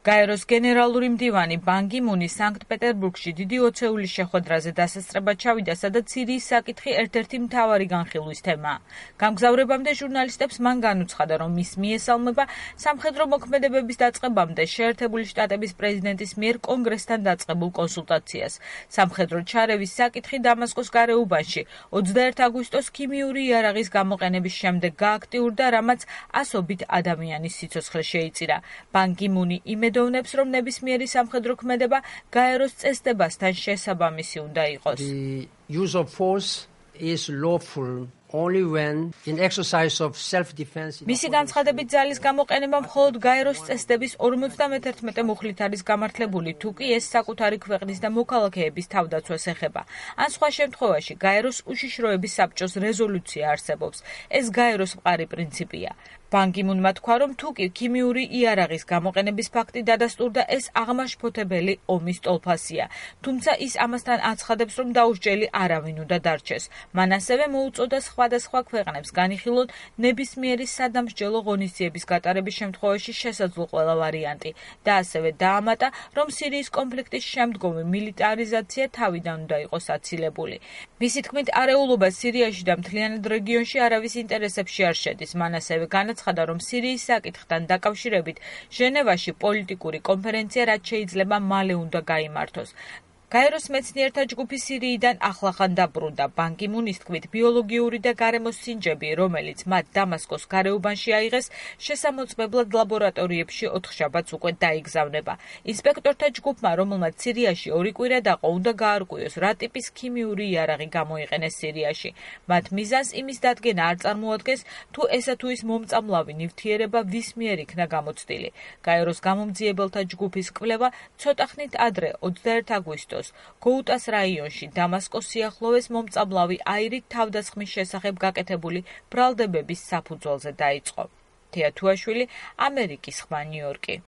გაეროს გენერალური მდივანი ბან კი მუნი სანქტ-პეტერბურგში დიდი ოცეულის შეხვედრაზე დასასწრებად ჩავიდა, სადაც სირიის საკითხი ერთ-ერთი მთავარი განხილვის თემაა. გამგზავრებამდე ჟურნალისტებს მან განუცხადა, რომ მის მიესალმება სამხედრო მოქმედებების დაწყებამდე შეერთებული შტატების პრეზიდენტის მიერ კონგრესთან დაწყებულ კონსულტაციას. სამხედრო ჩარევის საკითხი დამასკოს გარეუბანში 21 აგვისტოს ქიმიური იარაღის გამოყენების შემდეგ გააქტიურდა, რამაც ასობით ადამიანის სიცოცხლე შეიწირა. ბან კი მუნი იმედოვნებს, რომ ნებისმიერი სამხედრო ქმედება გაეროს წესდებასთან შესაბამისი უნდა იყოს. The use of force is lawful only when in exercise of self-defense. მისი განცხადებით ძალის გამოყენება მხოლოდ გაეროს წესდების 51 მუხლით არის გამართლებული, თუ კი ეს საკუთარი ქვეყნის და მოქალაქეების თავდაცვას ეხება. ან სხვა შემთხვევაში გაეროს უშიშროების საბჭოს რეზოლუცია არსებობს. ეს გაეროს მყარი პრინციპია. ბან კი მუნმა თქვა, რომ თუ კი ქიმიური იარაღის გამოყენების ფაქტი დადასტურდა, ეს აღმაშფოთებელი ომის ტოლფასია. თუმცა ის ამასთან აცხადებს, რომ დაუსჯელი არავინ უნდა დარჩეს. მან ასევე მოუწოდა სხვადასხვა ქვეყნებს განიხილონ ნებისმიერი სადამსჯელო ღონისძიების გატარების შემთხვევაში შესაძლო ყველა ვარიანტი და ასევე დაამატა, რომ სირიის კონფლიქტის შემდგომი მილიტარიზაცია თავიდან უნდა იყოს აცილებული. მისი თქმით, არეულობა სირიაში და მთლიანად რეგიონში არავის ინტერესებში არ შედის. მან ასევე განაცხადა, რომ სირიის საკითხთან დაკავშირებით ჟენევაში პოლიტიკური კონფერენცია რაც შეიძლება მალე უნდა გაიმართოს. გაეროს მეცნიერთა ჯგუფი სირიიდან ახლახან დაბრუნდა. ბან კი მუნის თქმით, ბიოლოგიური და გარემოს სინჯები, რომელიც მათ დამასკოს გარეუბანში აიღეს, შესამოწმებლად ლაბორატორიებში 4 შაბათს უკვე დაიგზავნება. ინსპექტორთა ჯგუფმა, რომელმაც სირიაში 2 კვირა დაყო, უნდა გაარკვიოს, რა ტიპის ქიმიური იარაღი გამოიყენეს სირიაში. მათ მიზანს იმის დადგენა არ წარმოადგენს, თუ ესა თუ ის მომწამლავი ნივთიერება ვის მიერ იქნა გამოცდილი. გაეროს გამომძიებელთა ჯგუფის კვლევა ცოტა ხნით ადრე 21 აგვისტოს გოუტას რაიონში დამასკოს სიახლოვეს მომწამლავი აირით თავდასხმის შესახებ გაკეთებული ბრალდებების საფუძველზე დაიწყო. თეა თუაშვილი, ამერიკის ხმა, ნიუ-იორკი.